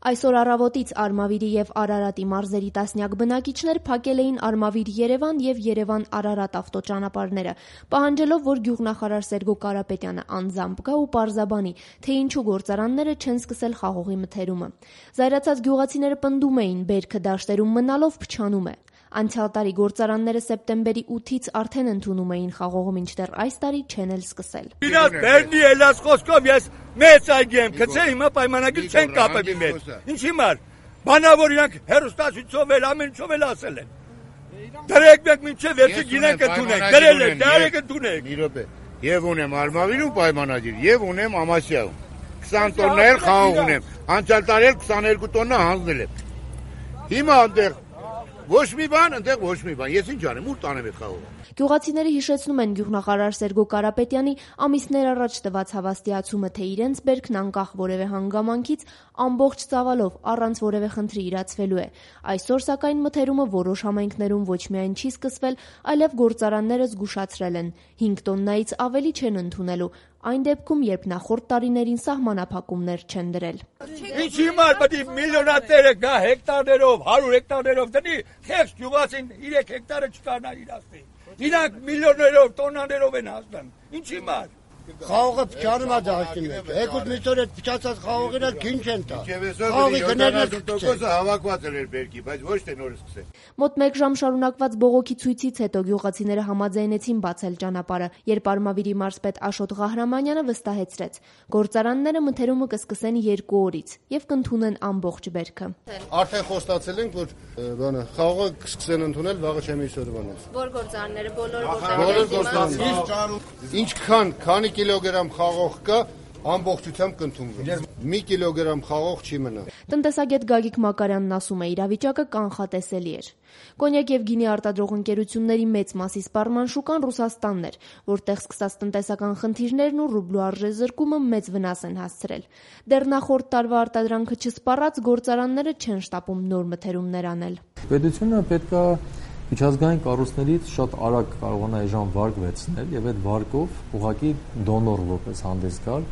Այսօր առավոտից Արմավիրի եւ Արարատի մարզերի տասնյակ բնակիչներ փակել էին Արմավիր-Երևան եւ Երևան-Արարատ ավտոճանապարհները, պահանջելով, որ գյուղնախարար Սերգո Կարապետյանը անձամբ գա ու պարզաբանի, թե ինչու գործարանները չեն սկսել խաղողի մթերումը։ Զայրացած գյուղացիները պնդում էին, բերքը դաշտերում մնալով փչանում է։ Անցյալ տարի գործարանները սեպտեմբերի 8-ից արդեն ընդունում էին խաղողը, մինչդեռ այս տարի չեն էլ սկսել։ Իրաց Բերնի ելած խոսքով ես մեծ այգի եմ գցել, հիմա պայմանագիր չեն կապել մեզ։ Ինչի համար։ Բանավոր իրանք հերոստացույցով էլ ամեն ինչով էլ ասել են։ Դրեք մեկ մինչև վերջը գինենք ընդունենք, դրել են, դարեք ընդունենք։ Մի րոպե։ Եվ ունեմ Արմավիրում պայմանագիր, եւ ունեմ Ամասիայում։ 20 տոննա էլ խաղող ունեմ։ Անցյալ տարի էլ 22 տոննա հանձնել եմ։ Հիմա այնտեղ ոչ մի բան, այնտեղ ոչ մի բան։ Ես ինչ անեմ, ուր տանեմ այդ խաղողը։ Գյուղացիները հիշեցնում են գյուղնախարար Սերգո Կարապետյանի ամիսներ առաջ տված հավաստիացումը, թե իրենց բերքն անկախ որևէ հանգամանքից ամբողջ ծավալով առանց որևէ խնդրի իրացվելու է։ Այսօր սակայն մթերումը որոշ համայնքներում ոչ միայն չի սկսվել, այլև գործարանները զգուշացրել են 5 տոննայից ավելի չեն ընդունելու, այն դեպքում, երբ նախորդ տարիներին սահմանափակումներ չեն դրել։ Ինչի համար պետք է միլիոնատերը գա հեկտարներով, 100 հեկտարներով դնի, խեղճ գյուղացին 3 հեկտարը չկարնա իրացնի։ Իրանք միլիոներով, տոննաներով են հասնում։ Ինչի համար։ Խաղողը փչանում է դաշտի մեջ։ Եկուտ միսօր այդ փչացած խաղողերը քին չեն տա։ Խաղողի գներն հավաքված էր բերքի, բայց ոչ թե նոր սկսել։ Մոտ 1 ժամ շարունակված բողոքի ցույցից հետո գյուղացիները համաձայնեցին բացել ճանապարհը, երբ Արմավիրի մարզպետ Աշոտ Ղահրամանյանը վստահեցրեց, գործարանները մթերումը կսկսեն 2 օրից եւ կընդունեն ամբողջ բերքը։ Արդեն խոստացել ենք, որ խաղողը կսկսեն ընդունել վաղը չեմիսօրվանից։ Որ գործարանները բոլոր գործարանները ինչքան քանի կիլոգրամ խաղող կա, ամբողջությամբ կընդունվի։ 1 կիլոգրամ խաղող չի մնա։ Տնտեսագետ Գագիկ Մակարյանն ասում է, իրավիճակը կանխատեսելի էր։ Կոնյակ եւ գինի արտադրող ընկերությունների մեծ մասի սպառման շուկան Ռուսաստանն էր, որտեղ սկսած տնտեսական խնդիրներն ու ռուբլու արժեզրկումը մեծ վնաս են հասցրել։ Դեռ նախորդ տարվա արտադրանքը չսպառած գործարանները չեն շտապում նոր մթերումներ անել։ Պետությունը պետք է միջազգային կառույցներից շատ արագ կարողանա այժմ վարկ վերցնել եւ այդ վարկով ուղղակի դոնոր որպես հանդես գալ,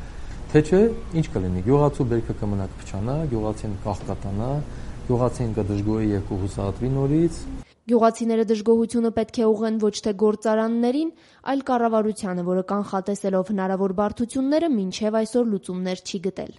թե չէ ինչ կլինի։ Գյուղացու բերքը կմնա կփչանա, գյուղացին կաղկատանա, գյուղացին կդժգոհի եւ կհուսահատվի նորից։ Գյուղացիները դժգոհությունը պետք է ուղղեն ոչ թե գործարաններին, այլ կառավարությանը, որը կանխատեսելով հնարավոր բարդությունները մինչև այսօր լուծումներ չի գտել։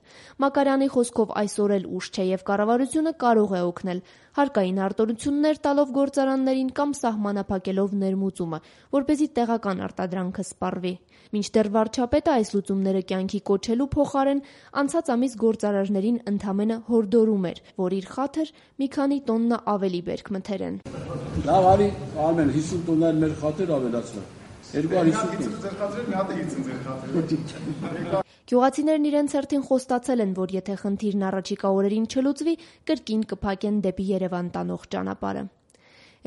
Մակարյանի խոսքով այսօր էլ ուշ չէ եւ կառավարությունը կարող է օգնել, հարկային արտոնություններ տալով գործարաններին կամ սահմանափակելով ներմուծումը, որպեսզի տեղական արտադրանքը սպառվի։ Մինչդեռ վարչապետը այս լուծումները կյանքի կոչելու փոխարեն անցած ամիս գործարարներին ընդամենը հորդորում էր, որ իր խաթր մի քանի տոննա ավելի բերք մթերեն։ Լավ, արի Արմեն 50 տոննա մեր խաթեր ավելացնա։ 250 ձեր խաթրել, մի հատ է 50 ձեր խաթրել։ Գյուղացիներն իրենց հերթին խոստացել են, որ եթե խնդիրն առաջիկա օրերին չլուծվի, կրկին կփակեն դեպի Երևան տանող ճանապարհը։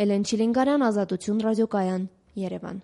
Էլեն Չիլինգարյան, Ազատություն ռադիոկայան, Երևան։